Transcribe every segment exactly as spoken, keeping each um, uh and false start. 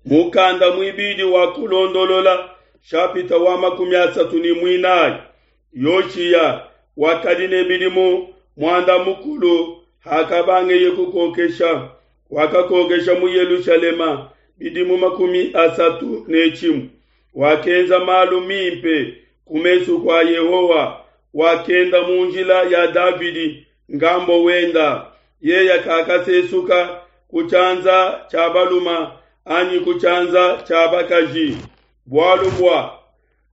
Mukanda muibidi wa Kulondolola shapita wa makumi asatu ne muinayi. Yoshiya wakadi ne bidimu muanda mukulu hakabangeye kukokesha, wakakokesha mu Yelushalema bidimu makumi asatu ne tshimue. Wakenza malu mimpe ku mesu kua Yehowa, wakenda mu njila ya Davidi ngambo wenda. Yeya kakasesuka ku tshianza tshia baluma anyi ku tshianza tshia bakaji. Bualu bua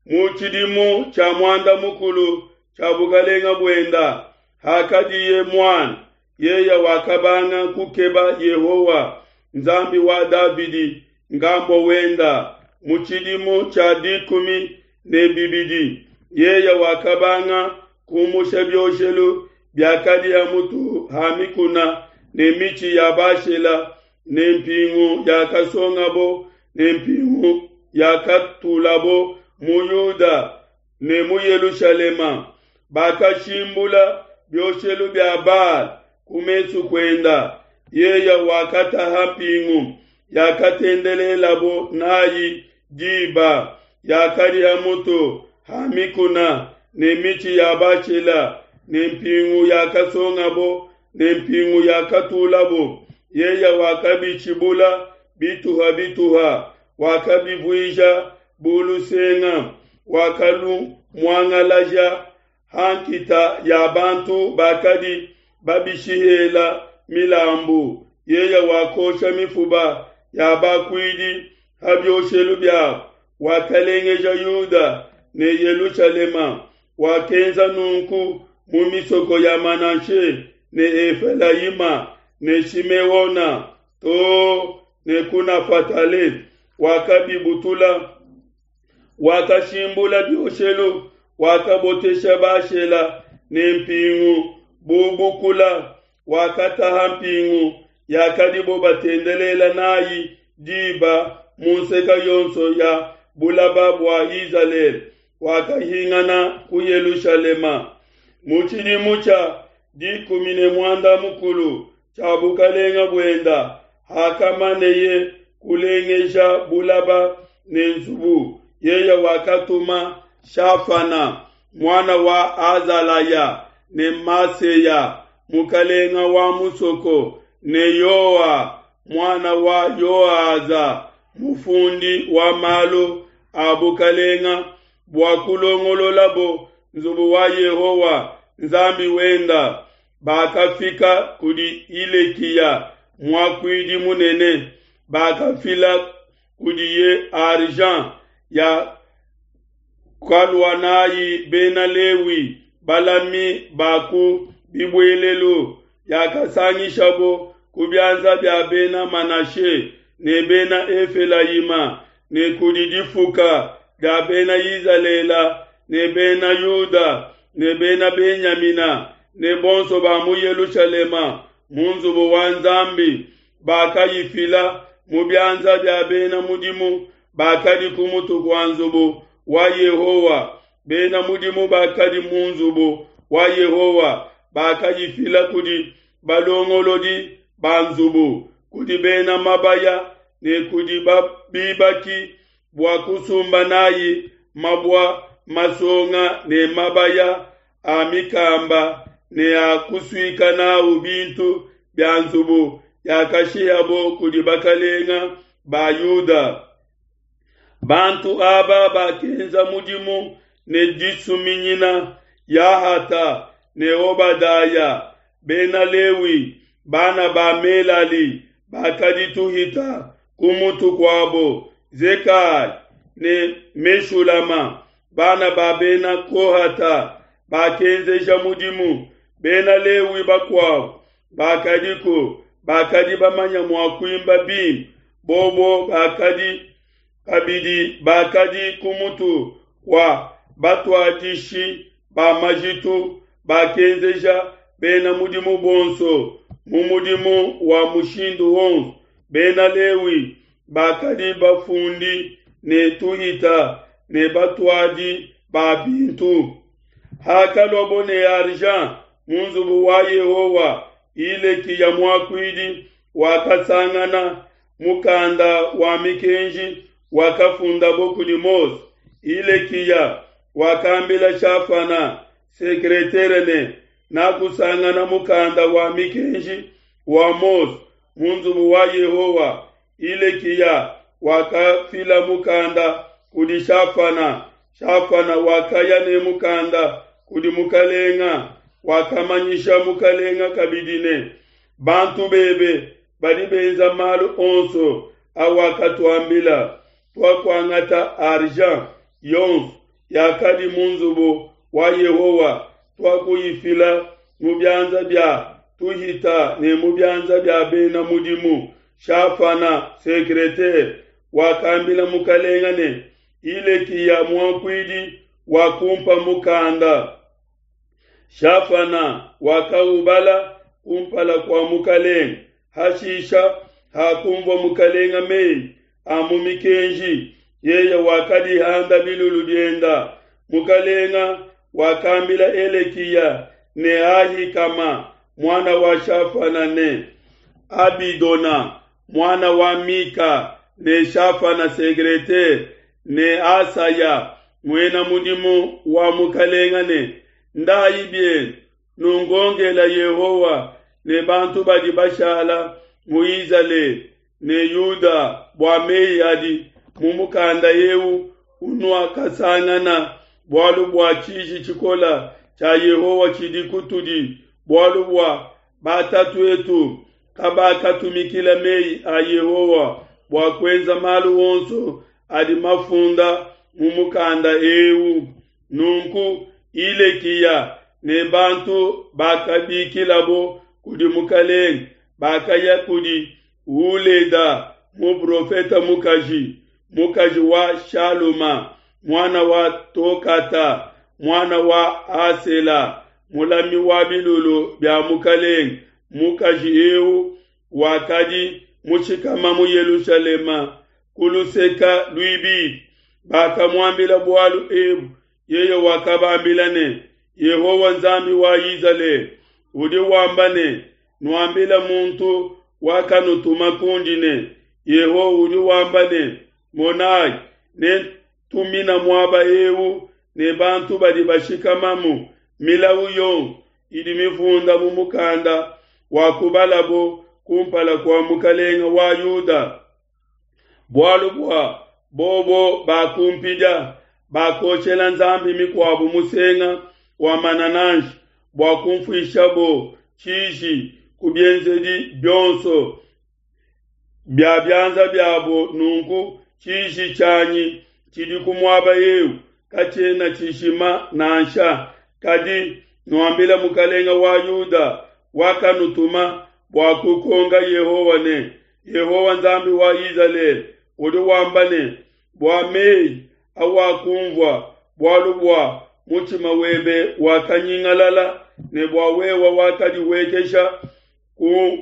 mu tshidimu tshia muanda mukulu tshia bukalenga buenda, hakadiye muana, yeya wakabanga kukeba Yehowa Nzambi wa Davidi ngambo wenda. Mu tshidimu tshia dikumi ne bibidi yeya wakabanga kumusha bioshelu biakadi ha mutu ha mikuna ne mitshi ya Bashela ne mpingu yakasongabo ne mpingu yakatulabo mu Yuda ne mu Yelushalema. Bakashimbula bioshelu bia Baal ku mesu kuenda. Yeya wakataha mpingu yakatendelelabo nayi diba yakadi ha mutu ha mikuna ne mitshi ya Bashela ne mpingu yakasongabo ne mpingu yakatulabo. Yeya wakabitshibula bituha bituha, wakabivuija bu lusenga, wakalumuangalaja ha nkita ya bantu bakadi babishihela milambu. Yeya wakosha mifuba ya bakuidi ha bioshelu biabo, wakalengeja Yuda ne Yelushalema. Wakenza nunku mu misoko ya Manashe ne Efelayima ne Shimeona to ne ku Nafatale, wakabibutula. Wakashimbula bioshelu, wakabotesha Bashela ne mpingu bubukula, wakataha mpingu yakadibo batendelela nayi diba mu nseka yonso ya bulaba bua Izalele. Wakahingana ku Yelushalema. Mu tshidimu tshia dikumi ne muanda mukulu tshia bukalenga buenda, hakamaneye kulengeja bulaba ne nzubu, yeya wakatuma Shafana muana wa Azalaya ne Maseya mukalenga wa musoko ne Yoa muana wa Yoaza mufundi wa malu a bukalenga bua kulongololabo nzubu wa Yehowa Nzambi wenda. Bakafika kudi Hilekiya muakuidi munene, bakafila kudiye argent ya kalua nayi bena Lewi balami ba ku bibuelelu, yakasangishabo ku bianza bia bena Manashe ne bena Efelayima ne kudi difuka dia bena Izalele ne bena Yuda ne bena Benyamina ne bonso ba mu Yelushalema mu nzubu wa Nzambi. Bakayifila mu bianza bia bena mudimu bakadi ku mutu kua nzubu wa Yehowa. Bena mudimu bakadi mu nzubu wa Yehowa bakayifila kudi balongolodi ba nzubu, kudi bena mabaya ne kudi bibaki bua kusumba nayi mabua masonga ne mabaya a mikamba ne a kusuika nawu bintu bia nzubu yakashiyabo kudi bakalenga ba Yuda. Bantu aba bakenza mudimu ne disuminyina Yahata ne Obadaya, bena Lewi, bana ba Melali bakadi tuhita ku mutu kuabo, Zekaya ne Meshulama, bana ba bena Kohata bakenzeja mudimu. Bena Lewi bakuabo bakadiku bakadi bamanya mua kuimba bimpe, bobo bakadi kabidi bakadi ku mutu kua batuadishi ba majitu, bakenzeja bena mudimu bonso mu mudimu wa mushindu wonso. Bena Lewi bakadi bafundi ne tuhita ne batuadi ba bintu. Hakaluabo ne argent mu nzubu wa Yehowa, Hilekiya muakuidi wakasangana mukanda wa mikenji wakafundabo kudi Mose. Hilekiya wakambila Shafana secretaire ne, Nakusangana mukanda wa mikenji wa Mose mu nzubu wa Yehowa. Hilekiya wakafila mukanda kudi Shafana. Shafana wakaya ne mukanda kudi mukalenga, wakamanyisha mukalenga kabidi ne, bantu bebe badi benza malu onso awakatuambila. Twakuangata argent yonso yakadi mu nzubu wa Yehowa, twakuyifila mu bianza bia tuhita ne mu bianza bia bena mudimu. Shafana secretaire wakambila mukalenga ne, Hilekiya muakuidi wakumpa mukanda. Shafana wakaubala kumpala kwa mukalenga. Hashisha hakumvua mukalenga meyi a mu mikenji, yeye wakadihanda bilulu bienda. Mukalenga wakambila Hilekiya ne Ahikama mwana wa Shafana ne Abidona mwana wa Mika ne Shafana secretaire ne Asaya mwena mudimu wa mukalenga ne, ndayi bienu nungongela Yehowa ne bantu badi bashala mu Izalele ne Yuda bua meyi adi mu mukanda eu unuakasangana, bualu bua tshiji tshikola tshia Yehowa tshidi kutudi, bualu bua batatuetu kabakatumikila meyi a Yehowa bua kuenza malu onso adi mafunda mu mukanda eu. Nunku Hilekiya ne bantu bakabikilabo kudi mukalenga bakaya kudi Huleda muprofeta mukaji, mukaji wa Shaluma mwana wa Tokata mwana wa Asela, mulami wa bilulu bia mukalenga. Mukaji eu wakadi mushikama mu Yelushalema kuluseka luibidi. Bakamuambila bualu ebu, yeye wakabambila ne, Yehowa Nzambi wa Izalele udi wamba ne, nuambila muntu wakanutuma kundi ne, Yehowa udi wamba ne, monayi, nentumina muaba eu ne bantu badi bashikamamu milawu yonso idi mifunda mu mukanda wa kubalabo kumpala kua mukalenga wa Yuda. Bualu bua bobo bakumpidia, bakoshela nzambi mikuabu musenga wa manananshi bua kumfuishabo tshiji ku bienzedi bionso bia bianza biabo. Nunku tshiji tshianyi tshidi ku muaba eu katshiena tshishima nansha. Kadi nuambila mukalenga wa Yuda wakanutuma bua kukonga Yehowa ne, Yehowa Nzambi wa Izalele udi wamba ne, bua meyi awakumvua, bualu bua mutshima webe wakanyingalala ne bua wewe wakadiwekesha ku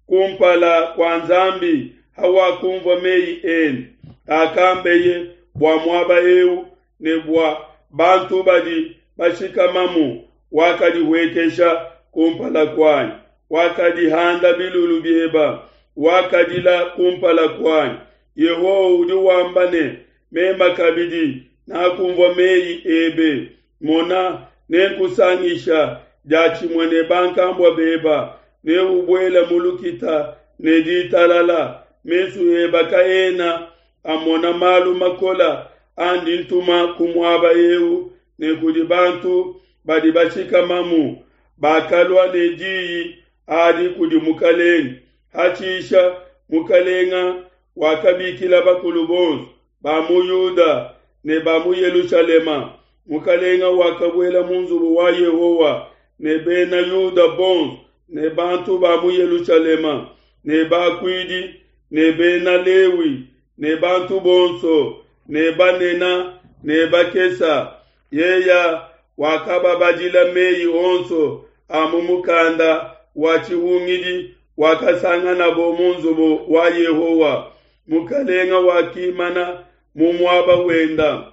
kumpala kwa Nzambi hawakumvua meyi ende akambeye bua muaba eu ne bua bantu badi bashikamamu, wakadiwekesha kumpala kuanyi, wakadihanda bilulu bieba, wakadila kumpala kuanyi. Yehowa udi wamba ne, mema kabidi nakumvua meyi ebe, mona nenkusangisha diatshimue ne bankambua beba, ne ubuela mu lukita ne ditalala. Mesu eba kaena amona malu makola andi ntuma ku muaba eu ne kudi bantu badi bashikamamu. Bakalua ne diyi adi kudi mukalenga. Hatshisha mukalenga wakabikila bakulu bonso ba mu Yuda ne ba mu Yelushalema. Mukalenga wakabuela mu nzubu wa Yehowa ne bena Yuda bonso ne bantu ba mu Yelushalema ne bakuidi ne bena Lewi ne bantu bonso ne banena ne bakesa. Yeya wakababadila meyi onso a mu mukanda wa tshihungidi wakasanganabo mu nzubu wa Yehowa. Mukalenga wakimana mu muaba wenda,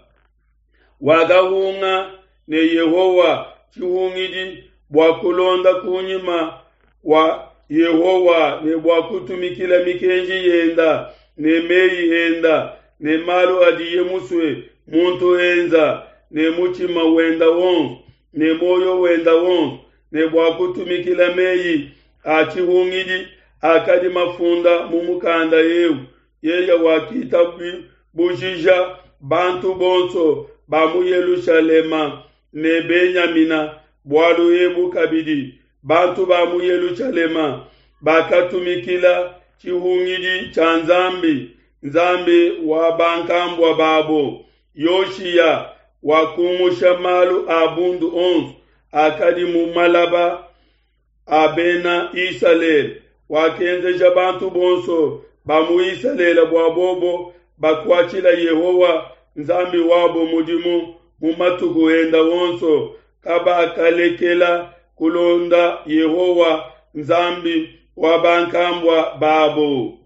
wakahunga ne Yehowa tshihungidi bua kulonda kunyima wa Yehowa ne bua kutumikila mikenji yenda ne meyi enda ne malu adiye musue muntu enza ne mutshima wenda wonso ne muoyo wenda wonso ne bua kutumikila meyi a tshihungidi akadi mafunda mu mukanda eu. Yeye wakitabujija bantu bonso ba mu Yelushalema ne Benyamina bualu ebu kabidi. Bantu ba mu Yelushalema bakatumikila tshihungidi tshia Nzambi, Nzambi wa bankambua babo. Yoshiya wakumusha malu a bundu onso akadi mu malaba a bena Isalele, wakenzeja bantu bonso ba mu Isalele bua bobo bakuatshila Yehowa Nzambi wabo mudimu mu matuku enda onso, kabakalekela kulonda Yehowa Nzambi wa bankambua babo.